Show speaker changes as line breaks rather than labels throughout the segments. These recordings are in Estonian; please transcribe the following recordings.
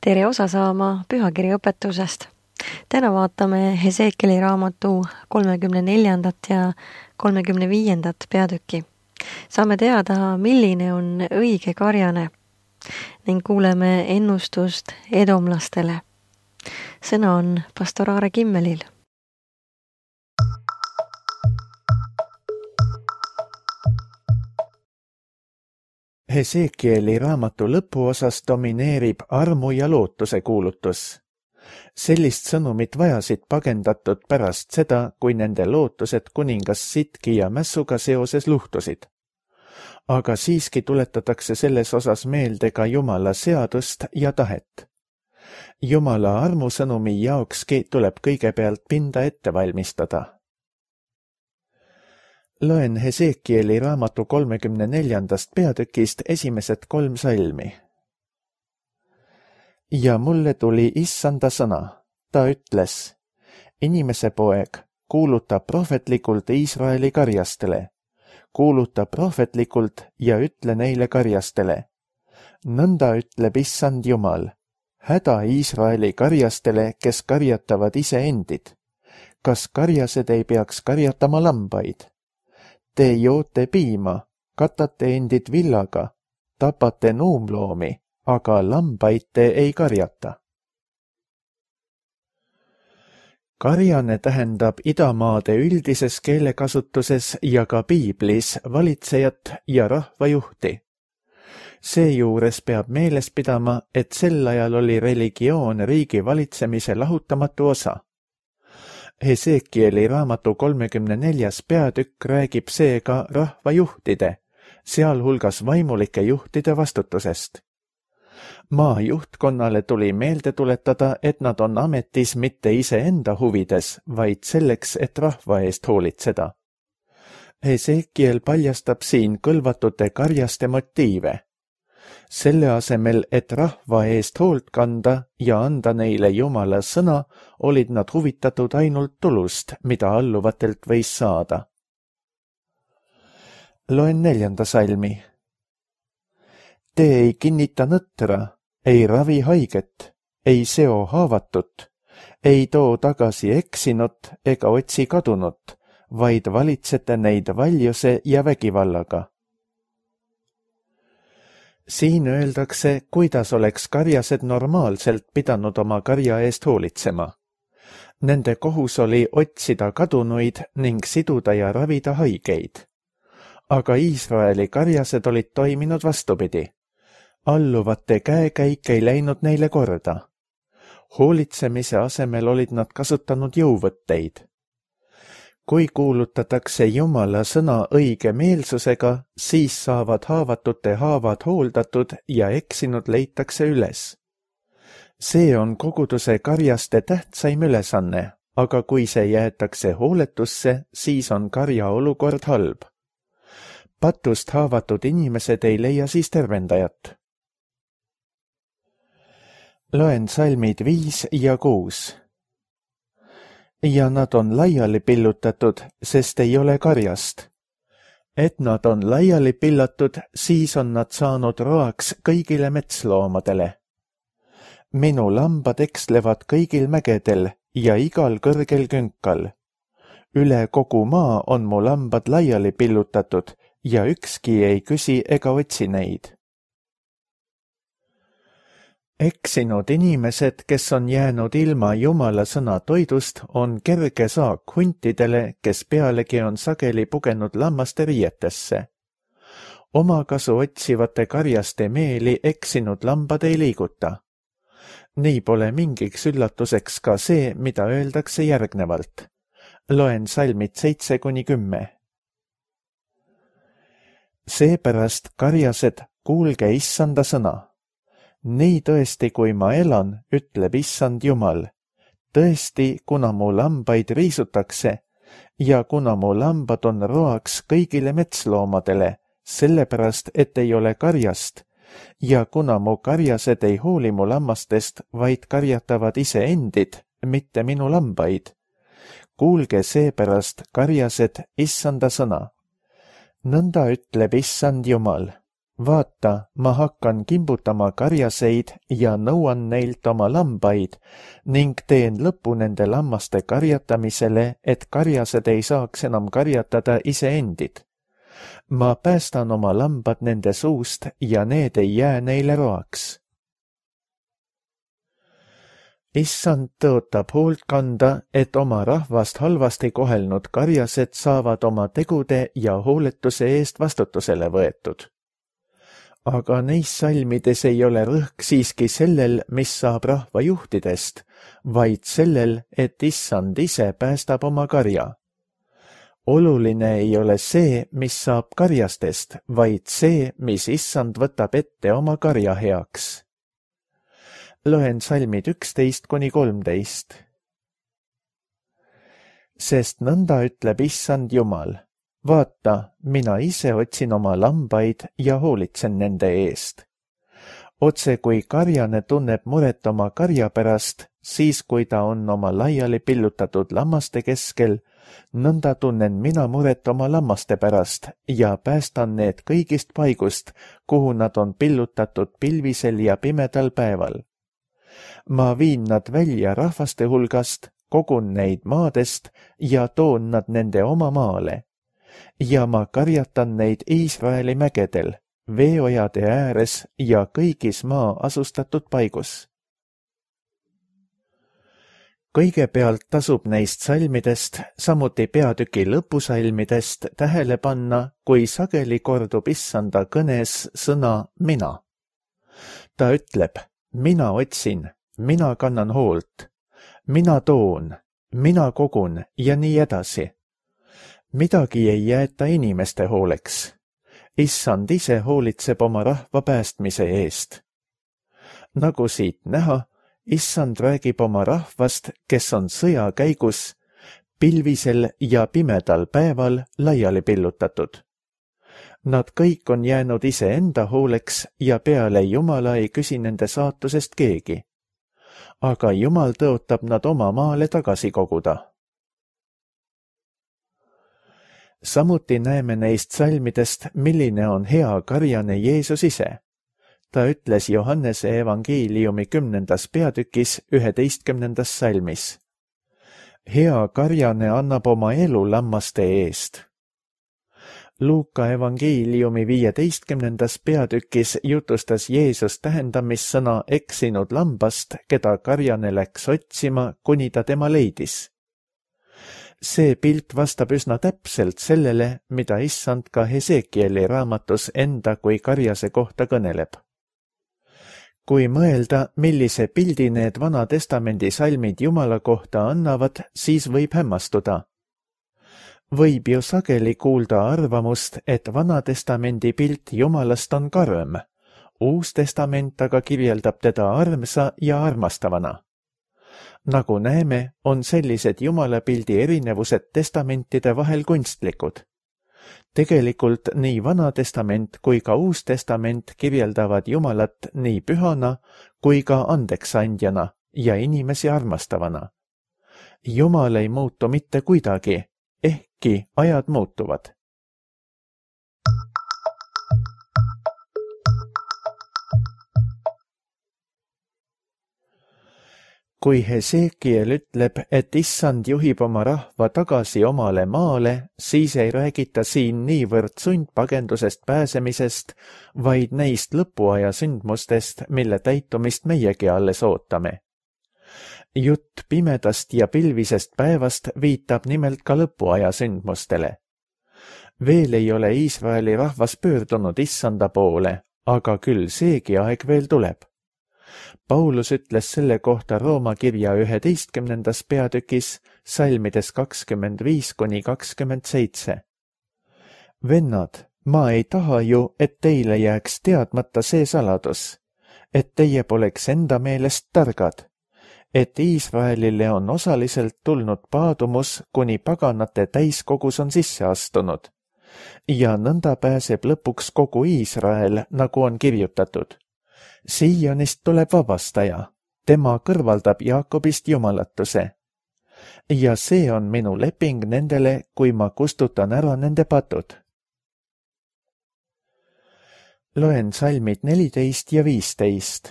Tere osa saama pühakirja õpetusest. Täna vaatame Hesekieli raamatu 34. ja 35. peatükki. Saame teada, milline on õige karjane ning kuuleme ennustust edomlastele. Sõna on pastor Aare Kimmelil.
Hesekieli raamatu lõpuosas domineerib armu ja lootuse kuulutus. Sellist sõnumit vajasid pagendatud pärast seda, kui nende lootused kuningas Sitki ja Mässuga seoses luhtusid. Aga siiski tuletatakse selles osas meelde ka Jumala seadust ja tahet. Jumala armusõnumi jaokski tuleb kõigepealt pinda ette valmistada. Loen Hesekieli raamatu 34. peatükist esimesed 3 salmi. Ja mulle tuli issanda sõna. Ta ütles, inimese poeg, kuuluta prohvetlikult Iisraeli karjastele. Kuuluta prohvetlikult ja ütle neile karjastele. Nõnda ütleb issand Jumal. Häda Iisraeli karjastele, kes karjatavad iseendid. Kas karjased ei peaks karjatama lambaid? Te joote piima, katate endid villaga, tapate nuumloomi, aga lambaid te ei karjata. Karjane tähendab idamaade üldises keelekasutuses ja ka piiblis valitsejat ja rahvajuhti. Seejuures peab meeles pidama, et sel ajal oli religioon riigi valitsemise lahutamatu osa. Hesekieli raamatu 34. peatükk räägib seega rahvajuhtide, sealhulgas vaimulike juhtide vastutusest. Maa juhtkonnale tuli meelde tuletada, et nad on ametis mitte iseenda huvides, vaid selleks, et rahva eest hoolitseda. Hesekiel paljastab siin kõlvatute karjaste motiive. Selle asemel, et rahva eest hoolt kanda ja anda neile Jumala sõna, olid nad huvitatud ainult tulust, mida alluvatelt võis saada. Loen 4. salmi. Te ei kinnita nõtra, ei ravi haiget, ei seo haavatut, ei too tagasi eksinut ega otsi kadunut, vaid valitsete neid valjuse ja vägivallaga. Siin öeldakse, kuidas oleks karjased normaalselt pidanud oma karja eest hoolitsema. Nende kohus oli otsida kadunuid ning siduda ja ravida haigeid. Aga Iisraeli karjased olid toiminud vastupidi. Alluvate käekäik ei läinud neile korda. Hoolitsemise asemel olid nad kasutanud jõuvõtteid. Kui kuulutatakse Jumala sõna õige meelsusega, siis saavad haavatute haavad hooldatud ja eksinud leitakse üles. See on koguduse karjaste tähtsaim ülesanne, aga kui see jäetakse hooletusse, siis on karja olukord halb. Patust haavatud inimesed ei leia siis tervendajat. Loen salmid 5 ja 6. Ja nad on laiali pillutatud, sest ei ole karjast. Et nad on laiali pillatud, siis on nad saanud roaks kõigile metsloomadele. Minu lambad ekslevad kõigil mägedel ja igal kõrgel künkal. Üle kogu maa on mu lambad laiali pillutatud ja ükski ei küsi ega otsi neid. Eksinud inimesed, kes on jäänud ilma Jumala sõna toidust, on kerge saak huntidele, kes pealegi on sageli pugenud lammaste riietesse. Omakasu otsivate karjaste meeli eksinud lambad ei liiguta. Nii pole mingiks üllatuseks ka see, mida öeldakse järgnevalt. Loen salmid 7-10. Seepärast karjased, kuulge issanda sõna. Nii tõesti, kui ma elan, ütleb issand Jumal. Tõesti, kuna mu lambaid riisutakse ja kuna mu lambad on roaks kõigile metsloomadele, sellepärast, et ei ole karjast, ja kuna mu karjased ei hooli mu lammastest, vaid karjatavad iseendid, mitte minu lambaid. Kuulge seepärast, karjased, issanda sõna. Nõnda ütleb issand Jumal. vaata, ma hakkan kimbutama karjaseid ja nõuan neilt oma lambaid ning teen lõpu nende lammaste karjatamisele, et karjased ei saaks enam karjatada iseendid. Ma päästan oma lambad nende suust ja need ei jää neile roaks. Issand tõotab hoolt kanda, et oma rahvast halvasti kohelnud karjased saavad oma tegude ja hooletuse eest vastutusele võetud. Aga neis salmides ei ole rõhk siiski sellel, mis saab rahva juhtidest, vaid sellel, et Issand ise päästab oma karja. Oluline ei ole see, mis saab karjastest, vaid see, mis Issand võtab ette oma karja heaks. Loen salmid 11–13. Sest nõnda ütleb Issand Jumal. Vaata, mina ise otsin oma lambaid ja hoolitsen nende eest. Otse kui karjane tunneb muret oma karja pärast, siis kui ta on oma laiali pillutatud lammaste keskel, nõnda tunnen mina muret oma lammaste pärast ja päästan need kõigist paigust, kuhu nad on pillutatud pilvisel ja pimedal päeval. Ma viin nad välja rahvaste hulgast, kogun neid maadest ja toon nad nende oma maale. Ja ma karjatan neid Iisraeli mägedel, veeojade ääres ja kõigis maa asustatud paigus. Kõigepealt tasub neist salmidest, samuti peatüki lõpusalmidest tähele panna, kui sageli kordub Issanda kõnes sõna mina. Ta ütleb, mina otsin, mina kannan hoolt, mina toon, mina kogun ja nii edasi. Midagi ei jäeta inimeste hooleks. Issand ise hoolitseb oma rahva päästmise eest. Nagu siit näha, Issand räägib oma rahvast, kes on sõja käigus, pilvisel ja pimedal päeval laiali pillutatud. Nad kõik on jäänud iseenda hooleks ja peale Jumala ei küsi nende saatusest keegi. Aga Jumal tõotab nad oma maale tagasi koguda. Samuti näeme neist salmidest, milline on hea karjane Jeesus ise. Ta ütles Johannese evangeeliumi 10. peatükis 11. salmis. Hea karjane annab oma elu lammaste eest. Luuka evangeeliumi 15. peatükis jutustas Jeesus tähendamissõna eksinud lambast, keda karjane läks otsima, kuni ta tema leidis. See pilt vastab üsna täpselt sellele, mida Issand ka Hesekieli raamatus enda kui karjase kohta kõneleb. Kui mõelda, millise pildi need Vana Testamendi salmid Jumala kohta annavad, siis võib hämmastuda. Võib ju sageli kuulda arvamust, et Vana Testamendi pilt Jumalast on karm, Uus Testament aga kirjeldab teda armsa ja armastavana. Nagu näeme, on sellised Jumalapildi erinevused testamentide vahel kunstlikud. Tegelikult nii Vana Testament kui ka Uus Testament kirjeldavad Jumalat nii pühana kui ka andeksandjana ja inimesi armastavana. Jumal ei muutu mitte kuidagi, ehkki ajad muutuvad. Kui Hesekiel ütleb, et Issand juhib oma rahva tagasi omale maale, siis ei räägita siin niivõrd sundpagendusest pääsemisest, vaid neist lõpuaja sündmustest, mille täitumist meiegi alles ootame. Jutt pimedast ja pilvisest päevast viitab nimelt ka lõpuaja sündmustele. Veel ei ole Iisraeli rahvas pöördunud Issanda poole, aga küll seegi aeg veel tuleb. Paulus ütles selle kohta Rooma kirja 11. peatükis, salmides 25–27. Vennad, ma ei taha ju, et teile jääks teadmata see saladus, et teie poleks enda meelest targad, et Iisraelile on osaliselt tulnud paadumus, kuni paganate täiskogus on sisse astunud, ja nõnda pääseb lõpuks kogu Iisrael, nagu on kirjutatud. Siionist tuleb vabastaja, tema kõrvaldab Jaakobist jumalatuse. Ja see on minu leping nendele, kui ma kustutan ära nende patud. Loen salmid 14 ja 15.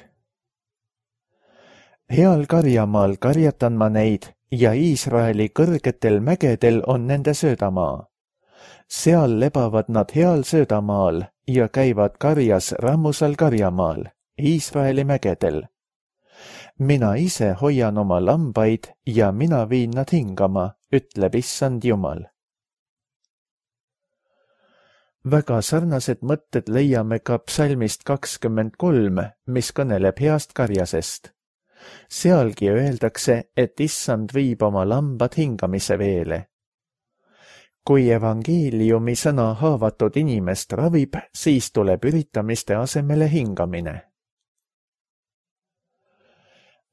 Heal karjamaal karjatan ma neid ja Iisraeli kõrgetel mägedel on nende söödamaa. Seal lebavad nad heal söödamaal ja käivad karjas rammusal karjamaal, Iisraeli mägedel. Mina ise hoian oma lambaid ja mina viin nad hingama, ütleb Issand Jumal. Väga sarnased mõtted leiame ka psalmist 23, mis kõneleb heast karjasest. Sealgi öeldakse, et Issand viib oma lambad hingamise veele. Kui evangeeliumi sõna haavatud inimest ravib, siis tuleb üritamiste asemele hingamine.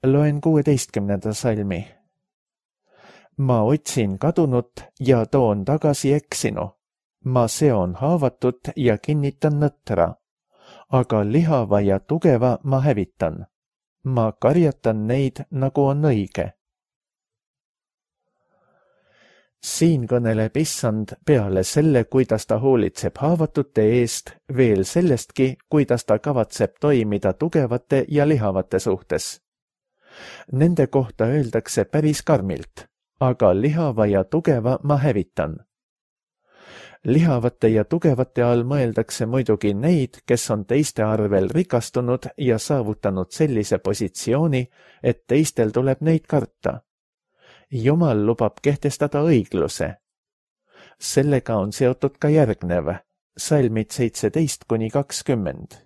Loen 16. salmi. Ma otsin kadunut ja toon tagasi eksinu. Ma seon haavatut ja kinnitan nõtra, aga lihava ja tugeva ma hävitan. Ma karjatan neid, nagu on õige. Siin kõneleb Issand peale selle, kuidas ta hoolitseb haavatute eest, veel sellestki, kuidas ta kavatseb toimida tugevate ja lihavate suhtes. Nende kohta öeldakse päris karmilt, aga lihava ja tugeva ma hävitan. Lihavate ja tugevate all mõeldakse muidugi neid, kes on teiste arvel rikastunud ja saavutanud sellise positsiooni, et teistel tuleb neid karta. Jumal lubab kehtestada õigluse. Sellega on seotud ka järgnev, salmid 17-20.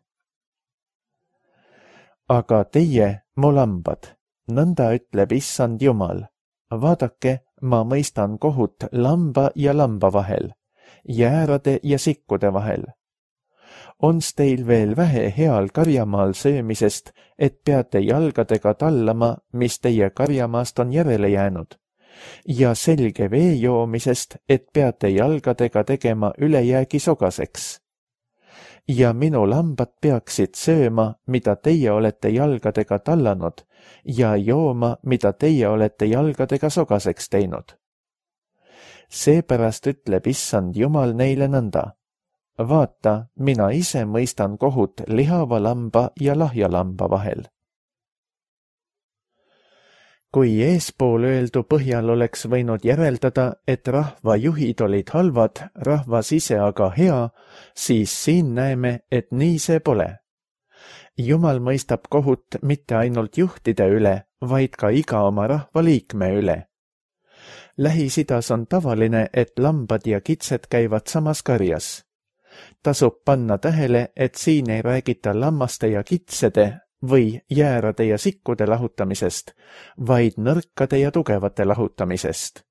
Aga teie, mu lambad, nõnda ütleb Issand Jumal. Vaadake, ma mõistan kohut lamba ja lamba vahel, jäärade ja sikkude vahel. Ons teil veel vähe heal karjamaal söömisest, et peate jalgadega tallama, mis teie karjamaast on järele jäänud, ja selge vee joomisest, et peate jalgadega tegema ülejäägi sogaseks. Ja minu lambad peaksid sööma, mida teie olete jalgadega tallanud, ja jooma, mida teie olete jalgadega sogaseks teinud. Seepärast ütleb Issand Jumal neile nõnda. Vaata, mina ise mõistan kohut lihava lamba ja lahja lamba vahel. Kui eespool öeldu põhjal oleks võinud järeldada, et rahva juhid olid halvad, rahvas ise aga hea, siis siin näeme, et nii see pole. Jumal mõistab kohut mitte ainult juhtide üle, vaid ka iga oma rahva liikme üle. Lähis-Idas on tavaline, et lambad ja kitsed käivad samas karjas. Tasub panna tähele, et siin ei räägita lammaste ja kitsede või jäärade ja sikkude lahutamisest, vaid nõrkade ja tugevate lahutamisest.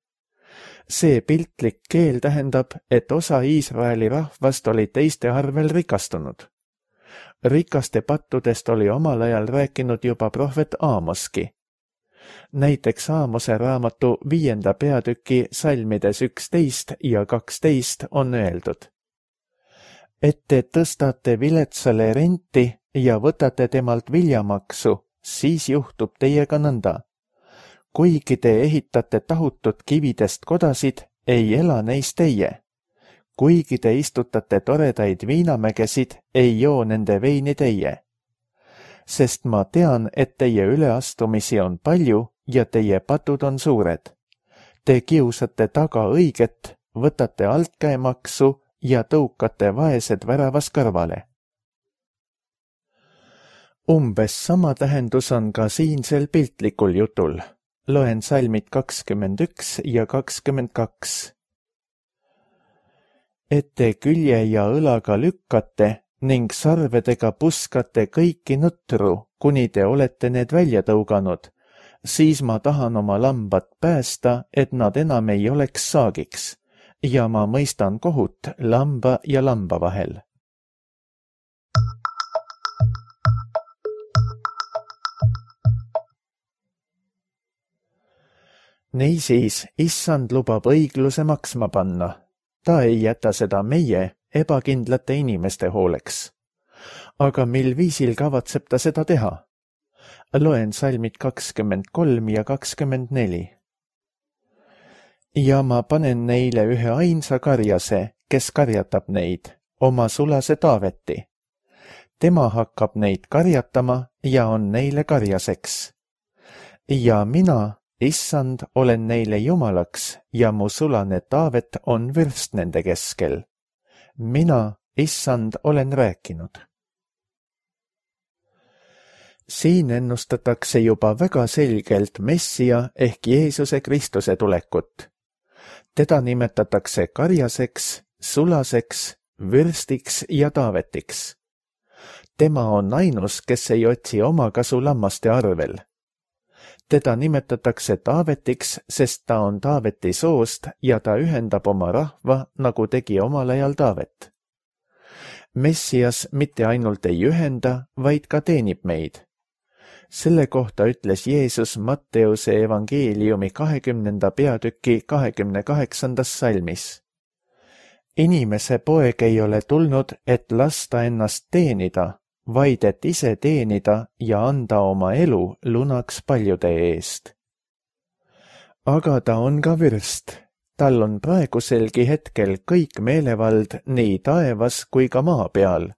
See piltlik keel tähendab, et osa Iisraeli rahvast oli teiste arvel rikastunud. Rikaste pattudest oli omal ajal rääkinud juba prohvet Aamoski. Näiteks Aamose raamatu 5. peatüki salmides 11 ja 12 on öeldud. Et te tõstate viletsale renti ja võtate temalt viljamaksu, siis juhtub teiega nõnda. Kuigi te ehitate tahutud kividest kodasid, ei ela neis teie. Kuigi te istutate toredaid viinamägesid, ei joo nende veini teie. Sest ma tean, et teie üleastumisi on palju ja teie patud on suured. Te kiusate taga õiget, võtate altkäemaksu ja tõukate vaesed väravas kõrvale. Umbes sama tähendus on ka siinsel piltlikul jutul. Loen salmid 21 ja 22. Et te külje ja õlaga lükkate ning sarvedega puskate kõiki nõtru, kuni te olete need välja tõuganud, siis ma tahan oma lambad päästa, et nad enam ei oleks saagiks, ja ma mõistan kohut lamba ja lamba vahel. Niisiis, Issand lubab õigluse maksma panna. Ta ei jäta seda meie, ebakindlate inimeste hooleks. Aga mil viisil kavatseb ta seda teha? Loen salmid 23 ja 24. Ja ma panen neile ühe ainsa karjase, kes karjatab neid, oma sulase Taaveti. tema hakkab neid karjatama ja on neile karjaseks. Ja mina, issand, olen neile jumalaks ja mu sulane Taavet on vürst nende keskel. Mina, issand, olen rääkinud. Siin ennustatakse juba väga selgelt Messia ehk Jeesuse Kristuse tulekut. Teda nimetatakse karjaseks, sulaseks, vürstiks ja Taavetiks. Tema on ainus, kes ei otsi omakasu lammaste arvel. Teda nimetatakse Taavetiks, sest ta on Taaveti soost ja ta ühendab oma rahva, nagu tegi omal ajal Taavet. Messias mitte ainult ei ühenda, vaid ka teenib meid. Selle kohta ütles Jeesus Matteuse evangeeliumi 20. peatüki 28. salmis. Inimese poeg ei ole tulnud, et lasta ennast teenida, vaid et ise teenida ja anda oma elu lunaks paljude eest. Aga ta on ka vürst. Tal on praeguselgi hetkel kõik meelevald nii taevas kui ka maa peal.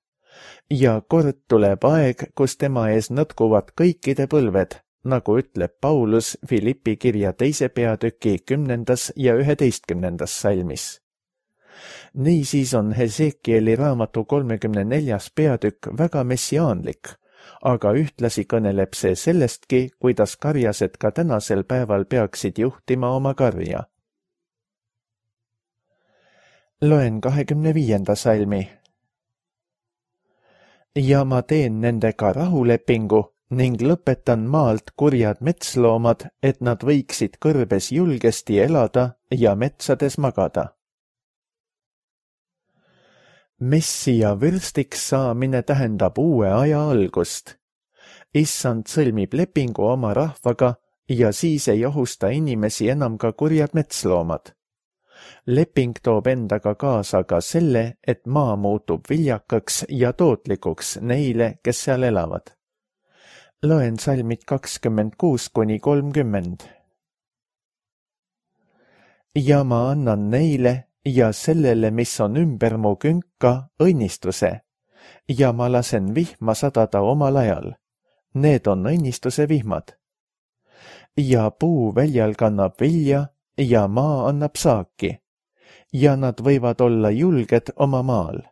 Ja kord tuleb aeg, kus tema ees nõtkuvad kõikide põlved, nagu ütleb Paulus Filippi kirja 2. peatüki 10. ja 11. salmis. Niisiis on Hesekieli raamatu 34. peatükk väga messiaanlik, aga ühtlasi kõneleb see sellestki, kuidas karjased ka tänasel päeval peaksid juhtima oma karja. Loen 25. salmi. Ja ma teen nendega rahulepingu ning lõpetan maalt kurjad metsloomad, et nad võiksid kõrbes julgesti elada ja metsades magada. Messia vürstiks saamine tähendab uue aja algust. Issand sõlmib lepingu oma rahvaga ja siis ei ohusta inimesi enam ka kurjad metsloomad. Leping toob endaga kaasa ka selle, et maa muutub viljakaks ja tootlikuks neile, kes seal elavad. Loen salmid 26–30. Ja ma annan neile ja sellele, mis on ümber mu künka, õnnistuse, ja ma lasen vihma sadada omal ajal. Need on õnnistuse vihmad. Ja puu väljal kannab vilja ja maa annab saaki, ja nad võivad olla julged oma maal.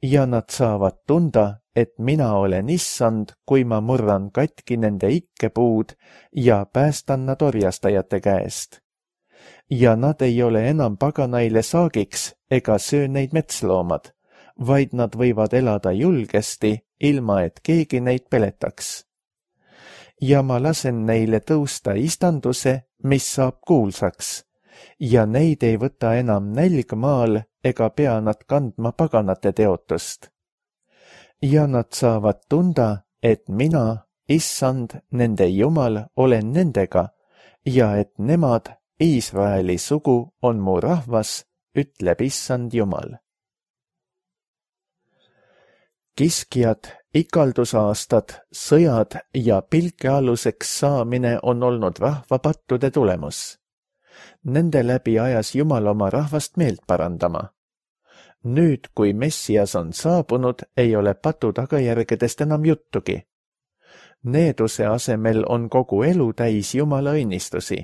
Ja nad saavad tunda, et mina olen issand, kui ma murran katki nende ikkepuud ja päästan nad orjastajate käest. Ja nad ei ole enam paganaile saagiks ega söö neid metsloomad, vaid nad võivad elada julgesti, ilma et keegi neid peletaks. Ja ma lasen neile tõusta istanduse, mis saab kuulsaks, ja neid ei võta enam nälg maal ega pea nad kandma paganate teotust. Ja nad saavad tunda, et mina, issand, nende Jumal, olen nendega ja et nemad, Iisraeli sugu, on mu rahvas, ütleb issand Jumal. Kiskjad, ikaldusaastad, sõjad ja pilkealuseks saamine on olnud rahva pattude tulemus. Nende läbi ajas Jumal oma rahvast meelt parandama. Nüüd, kui Messias on saabunud, ei ole patu tagajärgedest enam juttugi. Needuse asemel on kogu elu täis Jumala õnnistusi.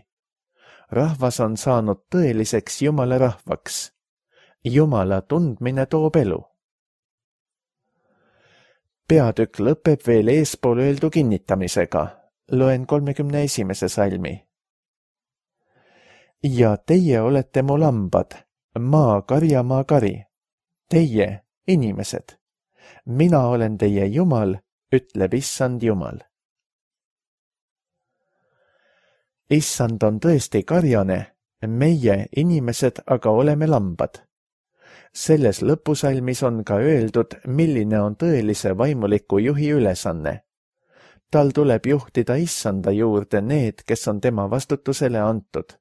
Rahvas on saanud tõeliseks Jumala rahvaks. Jumala tundmine toob elu. Peatükk lõpeb veel eespool öeldu kinnitamisega. Loen 31. salmi. Ja teie olete mu lambad, maa karjamaa kari. Teie, inimesed. Mina olen teie Jumal, ütleb issand Jumal. Issand on tõesti karjane, meie, inimesed, aga oleme lambad. Selles lõpusalmis on ka öeldud, milline on tõelise vaimuliku juhi ülesanne. Tal tuleb juhtida issanda juurde need, kes on tema vastutusele antud.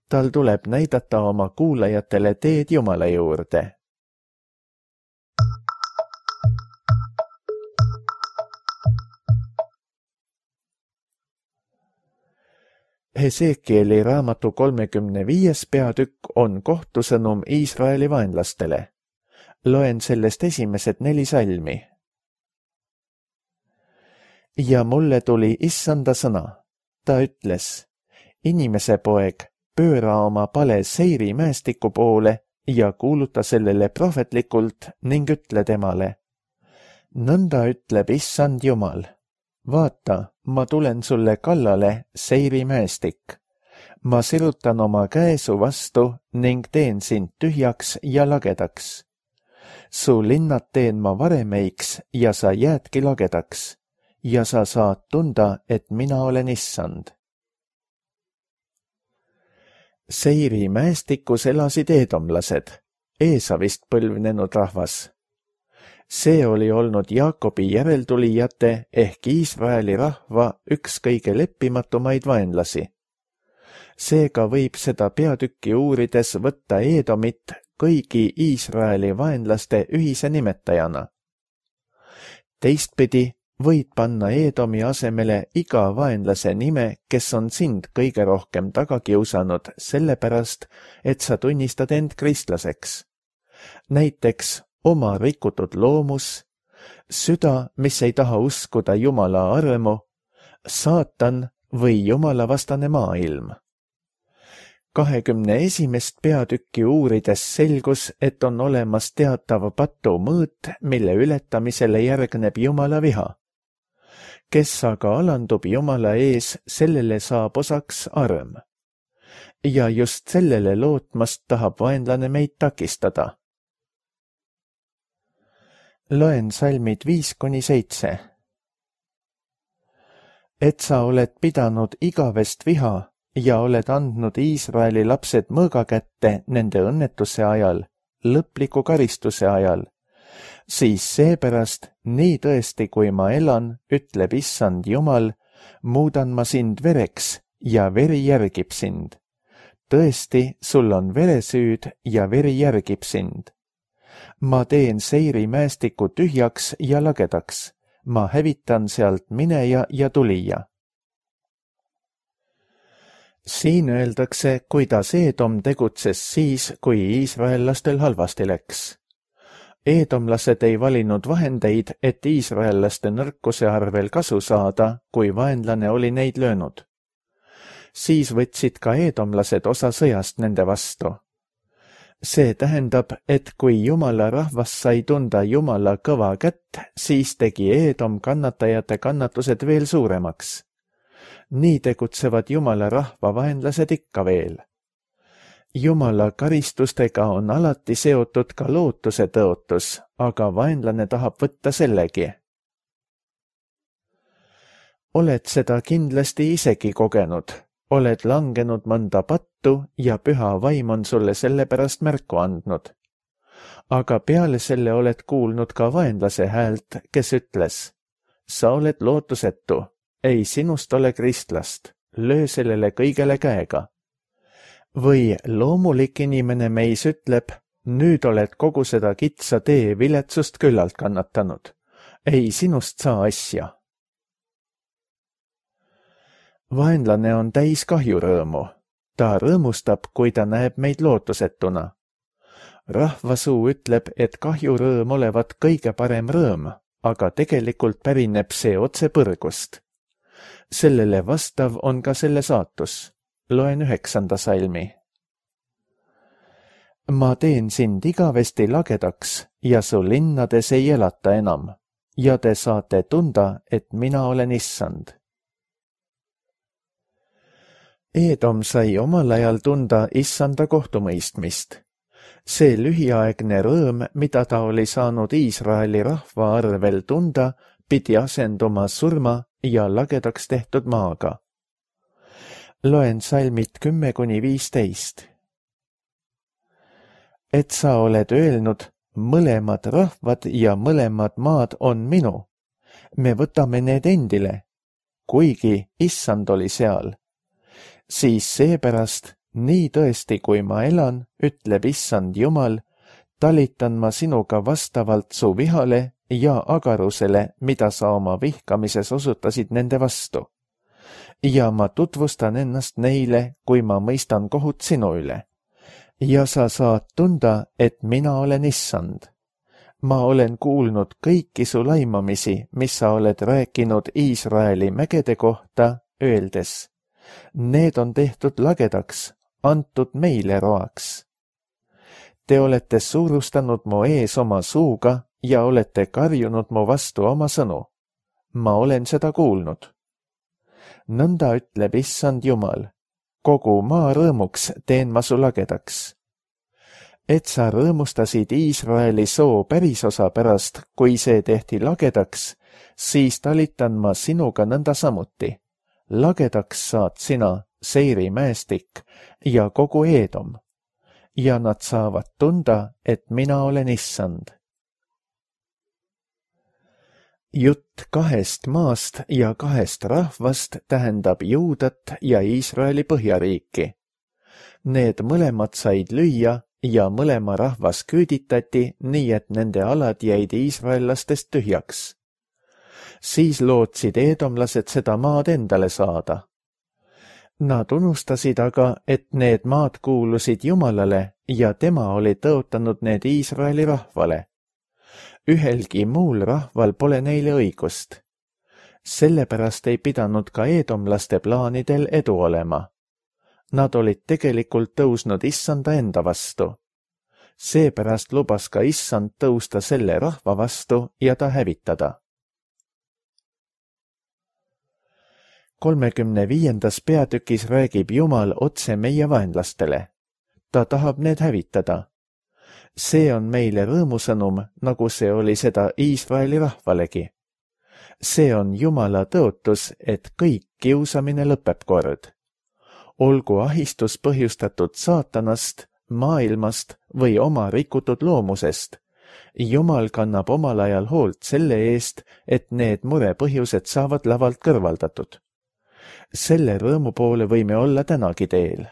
Tal tuleb näidata oma kuulajatele teed Jumala juurde. Hesekieli raamatu 35. peatükk on kohtusõnum Iisraeli vaenlastele. Loen sellest esimesed 4 salmi. ja mulle tuli issanda sõna. Ta ütles, inimese poeg, pööra oma pale Seiri mäestiku poole ja kuuluta sellele prohvetlikult ning ütle temale. Nõnda ütleb issand Jumal. Vaata, ma tulen sulle kallale, Seiri mäestik. Ma sirutan oma käe su vastu ning teen sind tühjaks ja lagedaks. Su linnad teen ma varemeiks ja sa jäädki lagedaks ja sa saad tunda, et mina olen issand. Seiri mäestikus elasid eedomlased, Eesavist põlvnenud rahvas. See oli olnud Jaakobi järeltulijate ehk Iisraeli rahva üks kõige leppimatumaid vaenlasi. Seega võib seda peatükki uurides võtta Eedomit kõigi Iisraeli vaenlaste ühise nimetajana. Teistpidi võid panna Eedomi asemele iga vaenlase nime, kes on sind kõige rohkem taga kiusanud, sellepärast, et sa tunnistad end kristlaseks. Näiteks oma rikutud loomus, süda, mis ei taha uskuda Jumala armu, saatan või jumalavastane maailm. 21. peatükki uurides selgus, et on olemas teatav patu mõõt, mille ületamisele järgneb Jumala viha. Kes aga alandub Jumala ees, sellele saab osaks arm. Ja just sellele lootmast tahab vaenlane meid takistada. Loen salmid 5-7. Et sa oled pidanud igavest viha ja oled andnud Iisraeli lapsed mõõga kätte nende õnnetuse ajal, lõpliku karistuse ajal, siis seepärast, nii tõesti kui ma elan, ütleb issand Jumal, muudan ma sind vereks ja veri järgib sind. Tõesti, sul on veresüüd ja veri järgib sind. Ma teen Seiri mäestiku tühjaks ja lagedaks. Ma hävitan sealt mineja ja tulija. Siin öeldakse, kuidas Eedom tegutses siis, kui iisraellastel halvasti läks. Eedomlased ei valinud vahendeid, et iisraellaste nõrkuse arvel kasu saada, kui vaenlane oli neid löönud. Siis võtsid ka eedomlased osa sõjast nende vastu. See tähendab, et kui Jumala rahvas sai tunda Jumala kõva kätt, siis tegi Eedom kannatajate kannatused veel suuremaks. Nii tegutsevad Jumala rahva vaenlased ikka veel. Jumala karistustega on alati seotud ka lootuse tõotus, aga vaenlane tahab võtta sellegi. Oled seda kindlasti isegi kogenud. Oled langenud mõnda pattu ja püha vaim on sulle selle pärast märku andnud. Aga peale selle oled kuulnud ka vaenlase häält, kes ütles, sa oled lootusetu, ei sinust ole kristlast, löö sellele kõigele käega. Või loomulik inimene meis ütleb, nüüd oled kogu seda kitsa tee viletsust küllalt kannatanud, ei sinust saa asja. Vaenlane on täis kahjurõõmu. Ta rõõmustab, kui ta näeb meid lootusetuna. Rahvasuu ütleb, et kahjurõõm olevat kõige parem rõõm, aga tegelikult pärineb see otse põrgust. Sellele vastav on ka selle saatus. Loen 9. salmi. Ma teen sind igavesti lagedaks ja su linnades ei elata enam ja te saate tunda, et mina olen issand. Eedom sai omal ajal tunda issanda kohtumõistmist. See lühiaegne rõõm, mida ta oli saanud Iisraeli rahva arvel tunda, pidi asenduma surma ja lagedaks tehtud maaga. Loen salmid 10-15. Et sa oled öelnud, mõlemad rahvad ja mõlemad maad on minu. Me võtame need endile, kuigi issand oli seal. Siis seepärast, nii tõesti kui ma elan, ütleb issand Jumal, talitan ma sinuga vastavalt su vihale ja agarusele, mida sa oma vihkamises osutasid nende vastu. Ja ma tutvustan ennast neile, kui ma mõistan kohut sinu üle. Ja sa saad tunda, et mina olen issand. Ma olen kuulnud kõiki su laimamisi, mis sa oled rääkinud Iisraeli mägede kohta, öeldes: need on tehtud lagedaks, antud meile roaks. Te olete suurustanud mu ees oma suuga ja olete karjunud mu vastu oma sõnu. Ma olen seda kuulnud. Nõnda ütleb Issand Jumal: kogu maa rõõmuks teen ma su lagedaks. Et sa rõõmustasid Iisraeli soo pärisosa pärast, kui see tehti lagedaks, siis talitan ma sinuga nõnda samuti. Lagedaks saad sina, Seiri mäestik ja kogu Eedom. Ja nad saavad tunda, et mina olen Issand. Jutt 2 maast ja 2 rahvast tähendab Juudat ja Iisraeli põhjariiki. Need mõlemad said lüüa ja mõlema rahvas küüditati, nii et nende alad jäid iisraellastest tühjaks. Siis lootsid eedomlased seda maad endale saada. Nad unustasid aga, et need maad kuulusid Jumalale ja tema oli tõotanud need Iisraeli rahvale. Ühelgi muul rahval pole neile õigust. Sellepärast ei pidanud ka eedomlaste plaanidel edu olema. Nad olid tegelikult tõusnud Issanda enda vastu. Seepärast lubas ka Issand tõusta selle rahva vastu ja ta hävitada. 35. peatükis räägib Jumal otse meie vaenlastele. Ta tahab need hävitada. See on meile rõõmusõnum, nagu see oli seda Iisraeli rahvalegi. See on Jumala tõotus, et kõik kiusamine lõpeb kord. Olgu ahistus põhjustatud saatanast, maailmast või oma rikutud loomusest. Jumal kannab omal ajal hoolt selle eest, et need murepõhjused saavad lavalt kõrvaldatud. Selle rõõmu poole võime olla tänagi teel.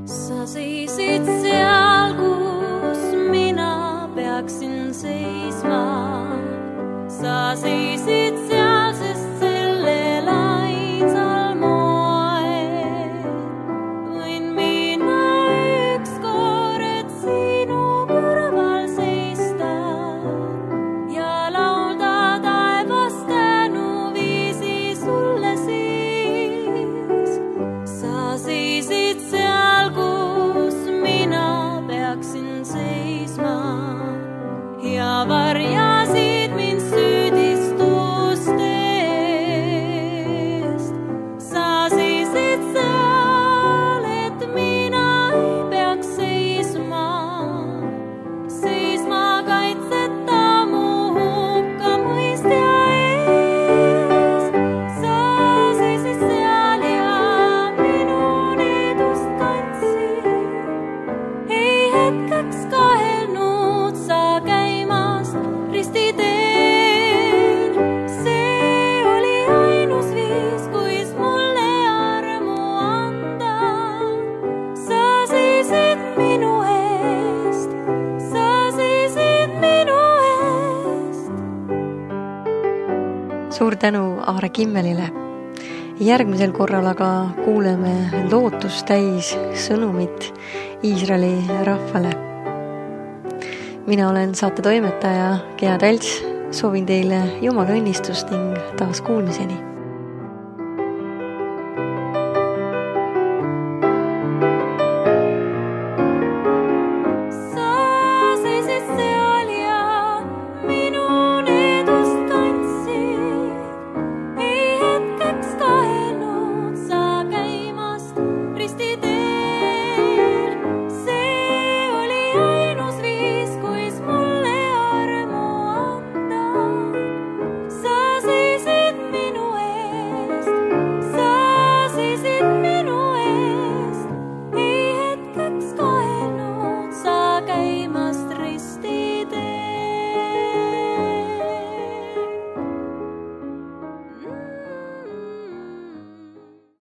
Sa seisid seal, kus mina peaksin seisma. Sa seisid seal, sest sellel ainsal moel võin mina ükskord sinu kõrval seista ja laulda taevast tänuviisi sulle siis. Sa seisid seal, kus mina peaksin seisma ja varjasid mind süüdistustest. Sa seisid seal, et mina ei peaks seisma kaitseta mu hukkamõistja ees. Sa seisid seal ja minu needust kandsid. Ei hetkeks kahelnud sa käimast ristiteel. See oli ainus viis, kuis mulle armu anda. Sa seisid minu eest, sa seisid minu eest.
Suur tänu Aare Kimmelile. Järgmisel korral aga kuuleme lootust täis sõnumit Iisraeli rahvale. Mina olen saate toimetaja Gea Talts. Soovin teile Jumala õnnistust ning taas kuulmiseni.